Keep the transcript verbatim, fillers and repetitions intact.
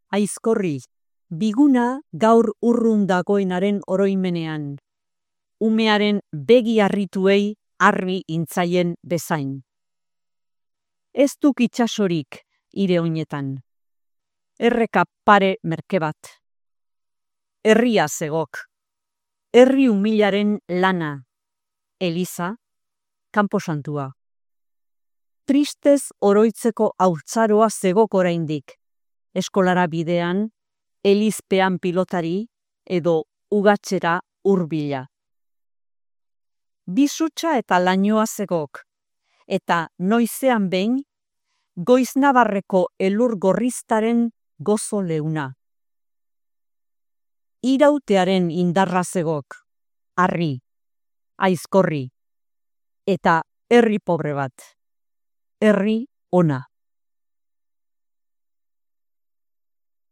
Aizkorri, biguna gaur urrun dagoenaren oroimenean, umearen begi harrituei arri intzaien bezain. Ez duk itxasorik ire oinetan, erreka pare merke bat. Herria zegok, herri humilaren lana, Eliza, kanposantua. Tristez oroitzeko haurtzaroa zegok oraindik, eskolara bidean, elizpean pilotari edo ugatzera hurbila. Bizutsa eta lainoa zegok, eta noizean behin, Goiznabarreko elur gorriztaren gozo leuna. Irautearen indarra zegok, harri, aizkorri, eta herri pobre bat, herri ona.